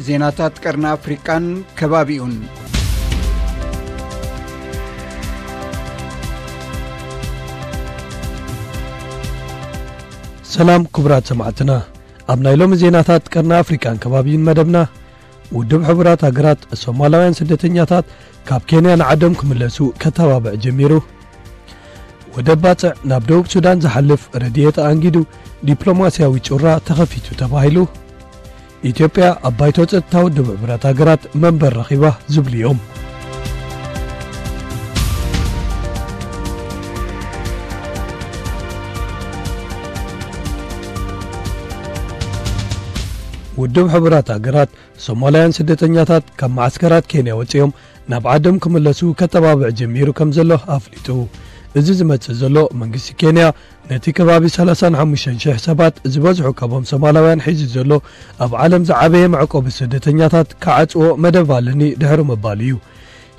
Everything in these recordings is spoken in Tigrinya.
ዜናታት ቀርኒ ኣፍሪቃን ከባቢኡን። ሰላም ክቡራት ሰማዕትና፣ ኣብ ናይ ሎሚ ዜናታት ቀርኒ ኣፍሪቃን ከባቢኡን መደብና፣ ውድብ ሕቡራት ሃገራት ሶማላውያን ስደተኛታት ካብ ኬንያ ንዓዶም ክምለሱ ከተባብዕ ጀሚሩ። ወደብ ባጽዕ ናብ ደቡብ ሱዳን ዝሓልፍ ረድኤት ኣንጊዱ ዲፕሎማስያዊ ጩራ ተኸፊቱ ተባሂሉ። ኢትዮጵያ ኣብ ባይቶ ጸጥታ ውድብ ሕቡራት ሃገራት መንበር ረኺባ ዝብሉ እዮም። ውድብ ሕቡራት ሃገራት ሶማላውያን ስደተኛታት ካብ መዓስከራት ኬንያ ወጺኦም ናብ ዓዶም ክምለሱ ከተባብዕ ጀሚሩ ከም ዘሎ ኣፍሊጡ። እዚ ዝመጽእ ዘሎ መንግስቲ ኬንያ ነቲ ከባቢ ሰላሳን ሓሙሽተን ሽሕ ሰባት ዝበዝሑ ካብኦም ሶማላውያን ሒዙ ዘሎ ኣብ ዓለም ዝዓበየ መዕቆቢ ስደተኛታት ክዓጽዎ መደብ ኣለኒ ድሕሪ ምባሉ እዩ።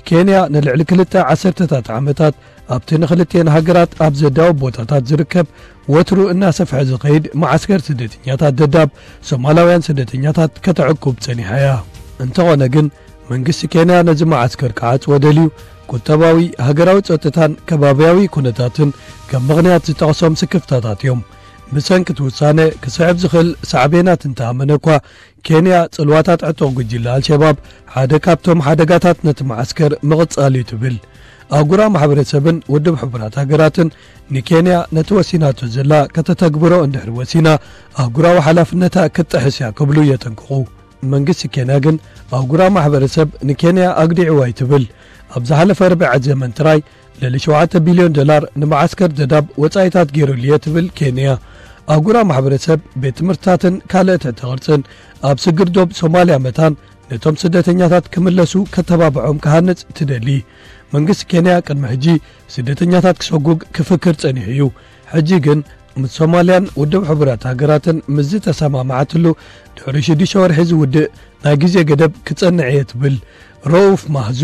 ኬንያ ንልዕሊ ክልተ ዓሰርተታት ዓመታት ኣብቲ ንክልቲኤን ሃገራት ኣብ ዘዳውብ ቦታታት ዝርከብ ወትሩ እናሰፍሐ ዝኸይድ መዓስከር ስደተኛታት ደዳብ ሶማላውያን ስደተኛታት ከተዕቁብ ጸኒሓ እያ። እንተኾነ ግን መንግስቲ ኬንያ ነዚ መዓስከር ክዓጽዎ ደልዩ ቁጠባዊ፣ ሃገራዊ ጸጥታን ከባብያዊ ኩነታትን ከም ምኽንያት ዝጠቕሶም ስክፍታታት እዮም። ብሰንኪ እቲ ውሳነ ክስዕብ ዝኽእል ሳዕቤናት እንተኣመነ እኳ ኬንያ ጽልዋታት ዕጡቕ ጉጅለ ኣልሸባብ ሓደ ካብቶም ሓደጋታት ነቲ መዓስከር ምቕጻል እዩ ትብል። ኣህጉራዊ ማሕበረሰብን ውድብ ሕቡራት ሃገራትን ንኬንያ ነቲ ወሲናቶ ዘላ ከተተግብሮ እንድሕር ወሲና ኣህጉራዊ ሓላፍነታ ክትጥሕስ እያ ክብሉ የጠንቅቑ። መንግስቲ ኬንያ ግን ኣህጉራዊ ማሕበረሰብ ንኬንያ ኣግዲዕዋ እዩ ትብል። ኣብ ዝሓለፈ ርብዒ ዘመን ጥራይ ልዕሊ ሸውዓተ ቢልዮን ዶላር ንመዓስከር ደዳብ ወጻኢታት ገይሩሉ እየ ትብል ኬንያ። ኣህጉራዊ ማሕበረሰብ ቤት ትምህርትታትን ካልእ ትሕተ ቅርጽን ኣብ ስግር ዶብ ሶማልያ መታን ነቶም ስደተኛታት ክምለሱ ከተባብዖም ክሃንጽ ትደሊ። መንግስቲ ኬንያ ቅድሚ ሕጂ ስደተኛታት ክሰጉግ ክፍክር ጸኒሑ እዩ። ሕጂ ግን ምስ ሶማልያን ውድብ ሕቡራት ሃገራትን ምስ ዝተሰማማዓትሉ ድሕሪ ሽዱሽተ ወርሒ ዝውድእ ናይ ግዜ ገደብ ክጸንዕ እየ ትብል። ረኡፍ ማህዙ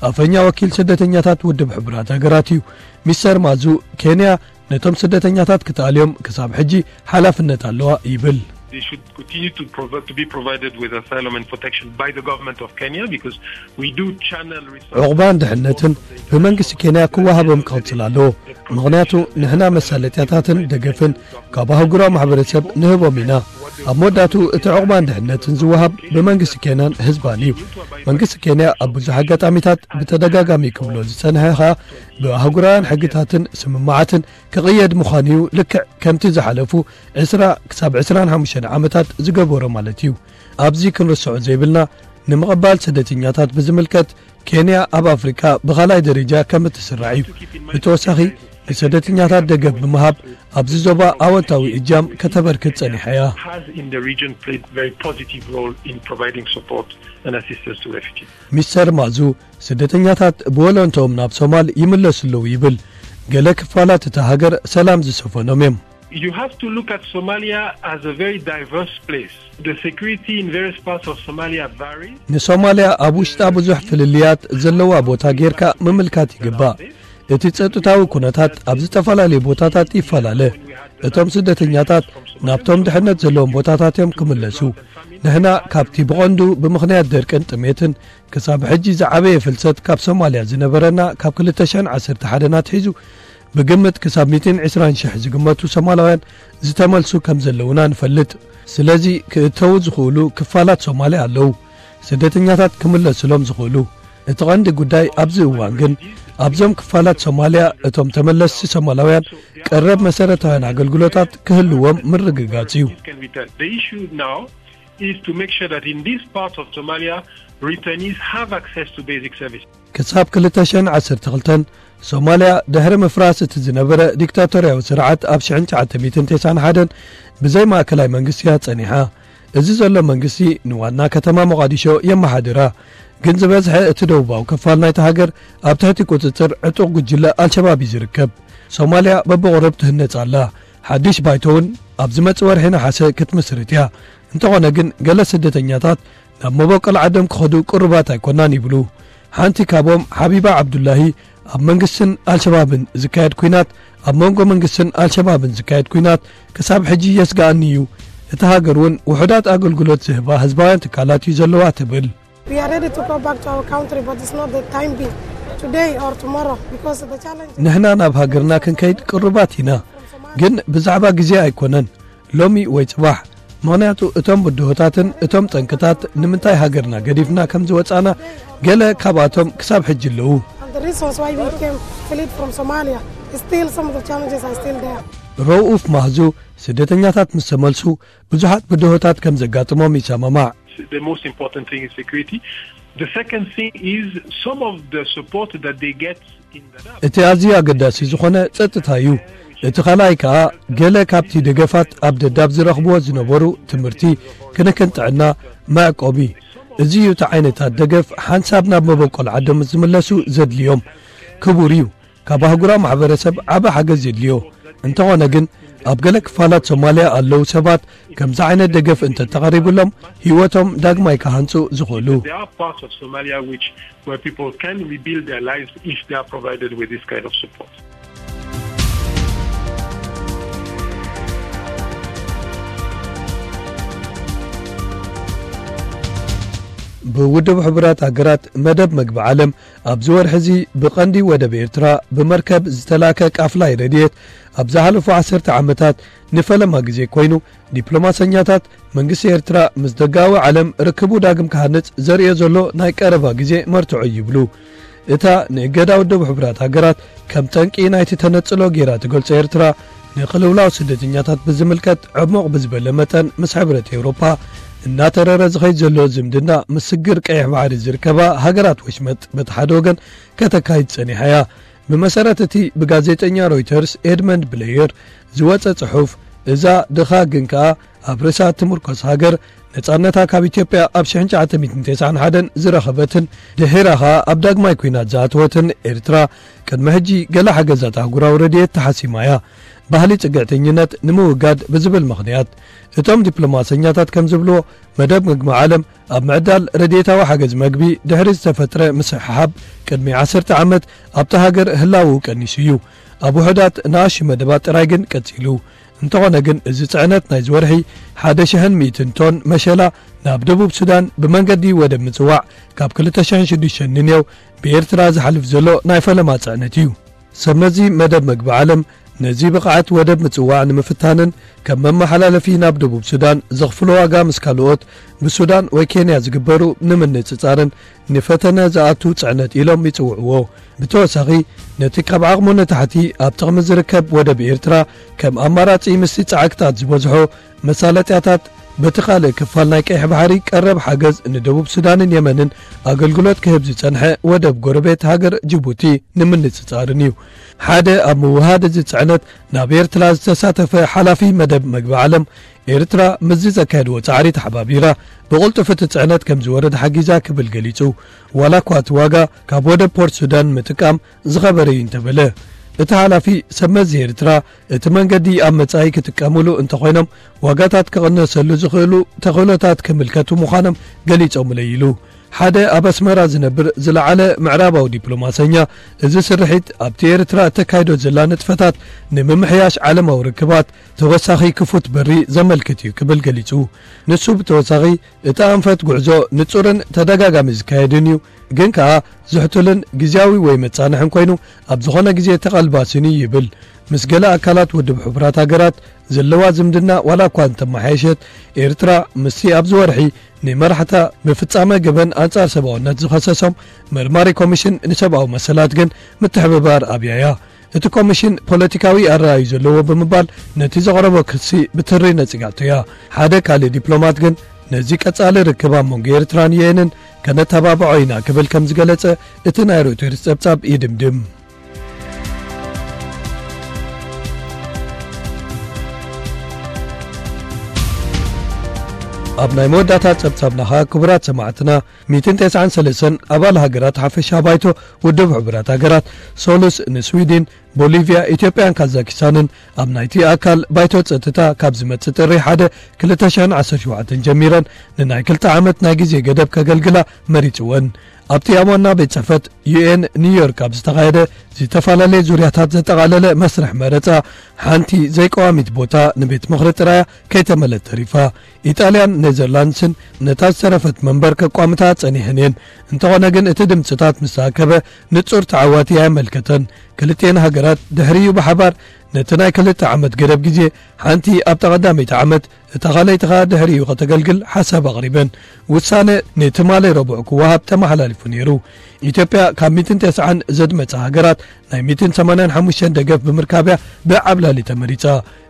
ኣፈኛ ወኪል ስደተኛታት ውድብ ሕቡራት ሃገራት እዩ። ሚስተር ማዙ ኬንያ ነቶም ስደተኛታት ክትኣልዮም ክሳብ ሕጂ ሓላፍነት ኣለዋ ይብል። They should continue to, provi- to be provided with asylum and protection by the government of Kenya because we do channel resources. ዕቑባን ድሕነትን ብመንግስቲ ኬንያ ክወሃቦም ክቕጽል ኣለዎ። ምኽንያቱ ንሕና መሳለጥያታትን ደገፍን ካብ ኣህጉራዊ ማሕበረሰብ ንህቦም ኢና። ኣብ መወዳእቱ እቲ ዕቑባን ድሕነትን ዝወሃብ ብመንግስቲ ኬንያን ህዝባን እዩ። መንግስቲ ኬንያ ኣብ ብዙሕ ኣጋጣሚታት ብተደጋጋሚ ክብሎ ዝጸንሐ ኸኣ ብኣህጉራውያን ሕግታትን ስምምዓትን ክቕየድ ምዃኑ እዩ፣ ልክዕ ከምቲ ዝሓለፉ ዕስራ ክሳብ ዕስራን ሓሙሽተን ዓመታት ዝገበሮ ማለት እዩ። ኣብዚ ክንርስዖ ዘይብልና ንምቕባል ስደተኛታት ብዝምልከት ኬንያ ኣብ ኣፍሪካ ብኻልኣይ ደረጃ ከም እትስራዕ እዩ። ብተወሳኺ ንስደተኛታት ደገፍ ብምሃብ ኣብዚ ዞባ ኣወንታዊ እጃም ከተበርክት ጸኒሓ እያ። Has in the region played very positive role in providing support and assistance to refugees. ሚስተር ማዙ ስደተኛታት ብወለንትኦም ናብ ሶማል ይምለሱ ኣለዉ ይብል። ገለ ክፋላት እታ ሃገር ሰላም ዝሰፈኖም እዮም። You have to look at Somalia as a very diverse place. The security in various parts of Somalia varies. ንሶማልያ ኣብ ውሽጣ ብዙሕ ፍልልያት ዘለዋ ቦታ ጌርካ ምምልካት ይግባእ። እቲ ጸጥታዊ ኩነታት ኣብ ዝተፈላለዩ ቦታታት ይፈላለ። እቶም ስደተኛታት ናብቶም ድሕነት ዘለዎም ቦታታት እዮም ክምለሱ። ንሕና ካብቲ ብቐንዱ ብምኽንያት ደርቅን ጥሜትን ክሳብ ሕጂ ዝዓበየ ፍልሰት ካብ ሶማልያ ዝነበረና ካብ ክልተ ሽሕን ዓሰርተ ሓደን ኣትሒዙ ብግምት ክሳብ ሚእትን ዕስራን ሽሕ ዝግመቱ ሶማላውያን ዝተመልሱ ከም ዘለዉና ንፈልጥ። ስለዚ ክእተዉ ዝኽእሉ ክፋላት ሶማልያ ኣለዉ፣ ስደተኛታት ክምለሱሎም ዝኽእሉ። እቲ ቀንዲ ጉዳይ ኣብዚ እዋን ግን ኣብዞም ክፋላት ሶማልያ እቶም ተመለስቲ ሶማላውያን ቀረብ መሰረታውያን ኣገልግሎታት ክህልዎም ምርግጋጽ እዩ። Can return. The issue now is to make sure that in this part of Somalia, returnees have access to basic services. ክሳብ ክልተ ሽሕን ዓሰርተ ክልተን ሶማልያ ድሕሪ ምፍራስ እቲ ዝነበረ ዲክታቶርያዊ ስርዓት ኣብ ሽሕን ትሽዓተ ሚእትን ተስዓን ሓደን ብዘይ ማእከላይ መንግስቲ እያ ጸኒሓ። እዚ ዘሎ መንግስቲ ንዋና ከተማ ሞቓዲሾ የመሓድራ፣ ግን ዝበዝሐ እቲ ደቡባዊ ክፋል ናይቲ ሃገር ኣብ ትሕቲ ቁጽጽር ዕጡቕ ጉጅለ ኣልሸባብ እዩ ዝርከብ። ሶማልያ በብቕሩብ ትህነጽ ኣላ። ሓድሽ ባይቶ እውን ኣብ ዝመጽእ ወርሒ ነሓሰ ክትምስርት እያ። እንተኾነ ግን ገለ ስደተኛታት ናብ መበቆል ዓዶም ክኸዱ ቅሩባት ኣይኮናን ይብሉ። ሓንቲ ካብኦም ሓቢባ ዓብዱላሂ ኣብ መንግስትን ኣልሸባብን ዝካየድ ኲናት፣ ኣብ መንጎ መንግስትን ኣልሸባብን ዝካየድ ኲናት ክሳብ ሕጂ የስግኣኒ እዩ። እታ ሃገር እውን ውሑዳት ኣገልግሎት ዝህባ ህዝባውያን ትካላት እዩ ዘለዋ ትብል። We are ready to go back to our country, but it's not the time being, today or tomorrow, because the challenge. ንሕና ናብ ሃገርና ክንከይድ ቅሩባት ኢና፣ ግን ብዛዕባ ግዜ ኣይኮነን፣ ሎሚ ወይ ጽባሕ። ምኽንያቱ እቶም ብድሆታትን እቶም ጠንቅታት ንምንታይ ሃገርና ገዲፍና ከም ዝወጻና ገለ ካብኣቶም ክሳብ ሕጂ ኣለዉ። And the reasons why we came fled from Somalia, still some of the challenges are still there. ረኡፍ ማህዙ ስደተኛታት ምስ ተመልሱ ብዙሓት ብድሆታት ከም ዘጋጥሞም ይሰማማዕ። The most important thing is security. The second thing is some of the support that they get in Dadaab. እቲ ኣዝዩ ኣገዳሲ ዝኾነ ጸጥታ እዩ። እቲ ካልኣይ ከኣ ገለ ካብቲ ደገፋት ኣብ ደዳብ ዝረኽብዎ ዝነበሩ ትምህርቲ፣ ክንክን ጥዕና፣ መዕቆቢ። እዚ እዩ እቲ ዓይነታት ደገፍ ሓንሳብ ናብ መበቆል ዓዶም ዝምለሱ ዘድልዮም። ክቡር እዩ። ካብ ኣህጉራዊ ማሕበረሰብ ዓቢ ሓገዝ የድልዮ። እንተኾነ ግን ኣብ ገለ ክፋላት ሶማልያ ኣለዉ ሰባት ከምዚ ዓይነት ደገፍ እንተተቐሪብሎም ህይወቶም ዳግማይ ክሃንጹ ዝኽእሉ። There are parts of Somalia which where people can rebuild their lives if they are provided with this kind of support. ብውድብ ሕቡራት ሃገራት መደብ መግቢ ዓለም ኣብዚ ወርሒ እዚ ብቐንዲ ወደብ ኤርትራ ብመርከብ ዝተላከ ቃፍላይ ረድኤት ኣብ ዝሓለፉ ዓሰርተ ዓመታት ንፈለማ ግዜ ኮይኑ፣ ዲፕሎማሰኛታት መንግስቲ ኤርትራ ምስ ደጋዊ ዓለም ርክቡ ዳግም ክሃንጽ ዘርእዮ ዘሎ ናይ ቀረባ ግዜ መርትዖ እዩ ይብሉ። እታ ንእገዳ ውድብ ሕቡራት ሃገራት ከም ጠንቂ ናይቲ ተነጽሎ ጌራ ትገልጾ ኤርትራ፣ ንቕልውላው ስደተኛታት ብዝምልከት ዕሙቕ ብዝበለ መጠን ምስ ሕብረት ኤውሮፓ እናተረረ ዝኸይድ ዘሎ ዝምድና ምስ ስግር ቀይሕ ባሕሪ ዝርከባ ሃገራት ወሽመጥ በቲ ሓደ ወገን ከተካይድ ጸኒሓ እያ። ብመሰረት እቲ ብጋዜጠኛ ሮይተርስ ኤድመንድ ብለየር ዝወጸ ጽሑፍ፣ እዛ ድኻ ግን ከኣ ኣብ ርእሳ እትምርኮስ ሃገር፣ ነጻነታ ካብ ኢትዮጵያ ኣብ ሽሕን ትሽዓተ ሚእትን ተስዓን ሓደን ዝረኸበትን ድሒራ ኸኣ ኣብ ዳግማይ ኲናት ዝኣተወትን ኤርትራ፣ ቅድሚ ሕጂ ገለ ሓገዛት ኣህጉራዊ ረድኤት ተሓሲማ እያ። ባህሊ ጽግዕተኝነት ንምውጋድ ብዝብል ምኽንያት፣ እቶም ዲፕሎማሰኛታት ከም ዝብልዎ፣ መደብ ምግቢ ዓለም ኣብ ምዕዳል ረድኤታዊ ሓገዝ መግቢ ድሕሪ ዝተፈጥረ ምስሕሓብ ቅድሚ ዓሰርተ ዓመት ኣብታ ሃገር ህላወኡ ቀኒሱ እዩ። ኣብ ውሑዳት ንኣሽቱ መደባት ጥራይ ግን ቀጺሉ። እንተኾነ ግን፣ እዚ ጽዕነት ናይዚ ወርሒ ሓደ ሽሕን ሚእትን ቶን መሸላ ናብ ደቡብ ሱዳን ብመንገዲ ወደብ ምጽዋዕ ካብ ክልተ ሽሕን ሽዱሽተን ንኔው ብኤርትራ ዝሓልፍ ዘሎ ናይ ፈለማ ጽዕነት እዩ። ሰብ መዚ መደብ መግቢ ዓለም ነዚ ብቕዓት ወደብ ምጽዋዕ ንምፍታንን ከም መመሓላለፊ ናብ ደቡብ ሱዳን ዘኽፍሎ ዋጋ ምስ ካልኦት ብሱዳን ወይ ኬንያ ዝግበሩ ንምንጽጻርን ንፈተነ ዝኣቱ ጽዕነት ኢሎም ይጽውዕዎ። ብተወሳኺ፣ ነቲ ካብ ዓቕሙ ንታሕቲ ኣብ ጥቕሚ ዝርከብ ወደብ ኤርትራ ከም ኣማራጺ ምስቲ ጻዕቅታት ዝበዝሖ መሳለጥያታት በቲ ካልእ ክፋል ናይ ቀይሕ ባሕሪ ቀረብ ሓገዝ ንደቡብ ሱዳንን የመንን ኣገልግሎት ክህብ ዝጸንሐ ወደብ ጎረቤት ሃገር ጅቡቲ ንምንጽጻርን እዩ። ሓደ ኣብ ምውሃድ እዚ ጽዕነት ናብ ኤርትራ ዝተሳተፈ ሓላፊ መደብ መግቢ ዓለም፣ ኤርትራ ምስዚ ዘካየድዎ ጻዕሪ ተሓባቢራ ብቕልጡፍ እቲ ጽዕነት ከም ዝወርድ ሓጊዛ ክብል ገሊጹ። ዋላ እኳ እቲ ዋጋ ካብ ወደብ ፖርት ሱዳን ምጥቃም ዝኸበረ እዩ እንተበለ፣ እቲ ሓላፊ ሰብ መዚ ኤርትራ እቲ መንገዲ ኣብ መጻኢ ክጥቀምሉ እንተኾይኖም ዋጋታት ክቕነሰሉ ዝኽእሉ ተኽእሎታት ክምልከቱ ምዃኖም ገሊጾምለይ ኢሉ። ሓደ ኣብ ኣስመራ ዝነብር ዝለዓለ ምዕራባዊ ዲፕሎማሰኛ፣ እዚ ስርሒት ኣብቲ ኤርትራ እተካይዶ ዘላ ንጥፈታት ንምምሕያሽ ዓለማዊ ርክባት ተወሳኺ ክፉት በሪ ዘመልክት እዩ ክብል ገሊጹ። ንሱ ብተወሳኺ፣ እቲ ኣንፈት ጉዕዞ ንጹርን ተደጋጋሚ ዝካየድን እዩ፣ ግን ከኣ ዝሕቱልን ግዝያዊ ወይ መጻንሕን ኮይኑ ኣብ ዝኾነ ግዜ ተቐልባስን እዩ ይብል። ምስ ገለ ኣካላት ውድብ ሕቡራት ሃገራት ዘለዋ ዝምድና ዋላ እኳ እንተመሓየሸት፣ ኤርትራ ምስቲ ኣብዚ ወርሒ ንመራሕታ ብፍጻመ ገበን ኣንጻር ሰብኣውነት ዝኸሰሶም መርማሪ ኮሚሽን ንሰብኣዊ መሰላት ግን ምትሕብባር ኣብያ እያ። እቲ ኮሚሽን ፖለቲካዊ ኣረኣእዩ ዘለዎ ብምባል ነቲ ዘቕረቦ ክሲ ብትሪ ነጺጋቶ እያ። ሓደ ካልእ ዲፕሎማት ግን ነዚ ቀጻሊ ርክብ ኣብ መንጎ ኤርትራን ዩ ኤንን ከነተባብዖ ኢና ክብል ከም ዝገለጸ እቲ ናይ ሮይተርስ ጸብጻብ ይድምድም። ኣብ ናይ መወዳእታ ጸብጻብና ኸኣ ክቡራት ሰማዕትና፣ ሚእትን ተስዓን ሰለስተን ኣባል ሃገራት ሓፈሻ ባይቶ ውድብ ሕቡራት ሃገራት፣ ሶሉስ ንስዊድን፣ ቦሊቭያ፣ ኢትዮጵያን ካዛኪስታንን ኣብ ናይቲ ኣካል ባይቶ ጸጥታ ካብ ዝመጽእ ጥሪ ሓደ ክልተ ሽሕን ዓሰርተ ሸውዓተን ጀሚረን ንናይ ክልተ ዓመት ናይ ግዜ ገደብ ከገልግላ መሪጽወን። ኣብቲ ኣብ ዋና ቤት ጽሕፈት ዩ ኤን ኒውዮርክ ኣብ ዝተኻየደ ዝተፈላለየ ዙርያታት ዘጠቓለለ መስርሕ መረጻ፣ ሓንቲ ዘይቀዋሚት ቦታ ንቤት ምኽሪ ጥራያ ከይተመልአት ተሪፋ። ኢጣልያን ኔዘርላንድስን ነታ ዝተረፈት መንበር ከቋምታ ጸኒሐን እየን። እንተኾነ ግን፣ እቲ ድምጽታት ምስ ተኣከበ፣ ንጹር ተዓዋቲ ኣየመልከተን። ክልቲኤን ሃገራት ድሕሪኡ ብሓባር ነቲ ናይ ክልተ ዓመት ገደብ ግዜ፣ ሓንቲ ኣብታ ቀዳመይቲ ዓመት፣ እታ ካልኣይቲ ኸኣ ድሕሪኡ ከተገልግል ሓሳብ ኣቕሪበን። ውሳነ ንትማሊ ረቡዕ ክወሃብ ተመሓላሊፉ ነይሩ። ኢትዮጵያ ካብ ሚእትን ተስዓን ዘድመጻ ሃገራት ናይ ሚእትን ሰማንያን ሓሙሽተን ደገፍ ብምርካብያ ብዓብላሊ ተመሪጻ።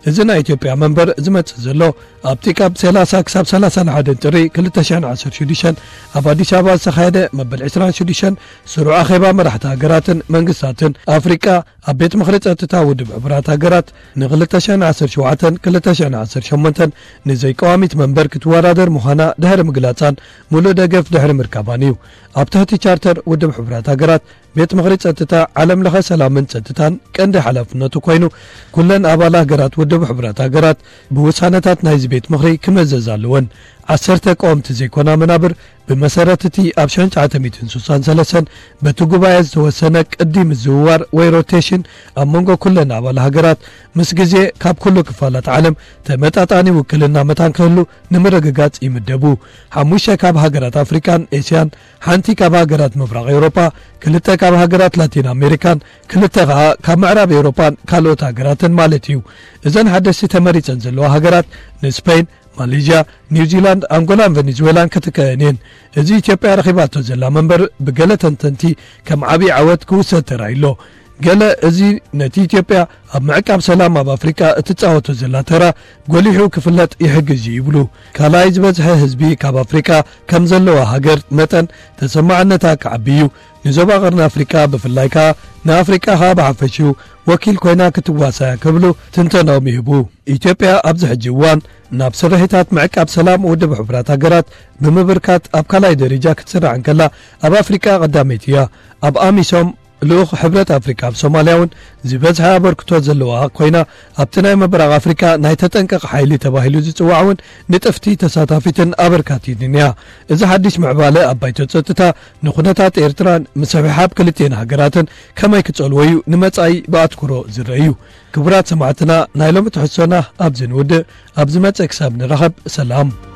እዚ ናይ ኢትዮጵያ መንበር ዝመጽእ ዘሎ፣ ኣብቲ ካብ ሰላሳ ክሳብ ሰላሳን ሓደን ጥሪ ክልተ ሽሕን ዓሰርተ ሽዱሽተን ኣብ ኣዲስ ኣበባ ዝተኻየደ መበል ዕስራን ሽዱሽተን ስሩዕ ኣኼባ መራሕቲ ሃገራትን መንግስታትን ኣፍሪቃ፣ ኣብ ቤት ምኽሪ ጸጥታ ውድብ ሕቡራት ሃገራት፣ ን ክልተ ሽሕን ዓሰርተ ሸውዓተን ክልተ ሽሕን ዓሰርተ ሸሞንተን ንዘይቀዋሚት መንበር ክትወዳደር ምዃና ድሕሪ ምግላጻን፣ ሙሉእ ደገፍ ድሕሪ ምርካባን እዩ። ኣብ ትሕቲ ቻርተር ውድብ ሕቡራት ሃገራት፣ ቤት ምኽሪ ጸጥታ ዓለም ለኸ ሰላምን ጸጥታን ቀንዲ ሓላፍነቱ ኮይኑ፣ ኩለን ኣባል ሃገራት ውድብ ሕቡራት ሃገራት ብውሳነታት ናይዚ ቤት ምኽሪ ክምእዘዝ ኣለወን። ዓሰርተ ቀወምቲ ዘይኮና መናብር፣ ብመሰረት እቲ ኣብ ሽሕን ትሽዓተ ሚእትን ስሳን ሰለስተን በቲ ጉባኤ ዝተወሰነ ቅዲ ምዝውዋር ወይ ሮቴሽን፣ ኣብ መንጎ ኩለን ኣባል ሃገራት፣ ምስ ግዜ ካብ ኩሉ ክፋላት ዓለም ተመጣጣኒ ውክልና መታን ክህሉ ንምርግጋጽ ይምደቡ። ሓሙሽተ ካብ ሃገራት ኣፍሪቃን ኤስያን፣ ሓንቲ ካብ ሃገራት ምብራቕ ኤውሮጳ፣ ክልተ ካብ ሃገራት ላቲን ኣሜሪካን፣ ክልተ ኸኣ ካብ ምዕራብ ኤውሮጳን ካልኦት ሃገራትን ማለት እዩ። እዘን ሓደስቲ ተመሪጸን ዘለዋ ሃገራት፣ ንስፔን፣ ማሌዥያ፣ ኒውዚላንድ፣ ኣንጎላን ቨኔዙዌላን ክትከኣን እየን። እዚ ኢትዮጵያ ረኺባቶ ዘላ መንበር፣ ብገለ ተንተንቲ ከም ዓብዪ ዓወት ክውሰድ ተራእዩ ኣሎ። ገለ፣ እዚ ነቲ ኢትዮጵያ ኣብ ምዕቃብ ሰላም ኣብ ኣፍሪቃ እትጻወቶ ዘላ ተራ ጎሊሑ ክፍለጥ ይሕግዝ እዩ ይብሉ። ካልኣይ ዝበዝሐ ህዝቢ ካብ ኣፍሪቃ ከም ዘለዋ ሃገር መጠን፣ ተሰማዕነታ ክዓቢ እዩ። ንዞባ ቀርኒ ኣፍሪቃ ብፍላይ ከኣ፣ ንኣፍሪቃ ከኣ ብሓፈሽኡ ወኪል ኮይና ክትዋሳእ እያ ክብሉ ትንተናኦም ይህቡ። ኢትዮጵያ ኣብዚ ሕጂ እዋን ናብ ስርሒታት ምዕቃብ ሰላም ውድብ ሕቡራት ሃገራት ብምብርካት ኣብ ካልኣይ ደረጃ ክትስራዕ እንከላ፣ ኣብ ኣፍሪቃ ቀዳመይቲ እያ። ኣብ ኣሚሶም፣ ልኡኽ ሕብረት ኣፍሪቃ ኣብ ሶማልያ እውን ዝበዝሐ ኣበርክቶ ዘለዋ ኮይና፣ ኣብቲ ናይ ምብራቕ ኣፍሪቃ ናይ ተጠንቀቕ ሓይሊ ተባሂሉ ዝጽዋዕ እውን ንጥፍቲ ተሳታፊትን ኣበርካቲትን እያ። እዚ ሓድሽ ምዕባለ ኣብ ባይቶ ጸጥታ ንኩነታት ኤርትራን ምስሕሓብ ክልቲኤን ሃገራትን ከመይ ክጸልዎ እዩ ንመጻኢ ብኣትኩሮ ዝረአ እዩ። ክቡራት ሰማዕትና፣ ናይ ሎሚ ትሕዝቶና ኣብዚ ንውድእ። ኣብ ዝመጽእ ክሳብ ንራኸብ፣ ሰላም።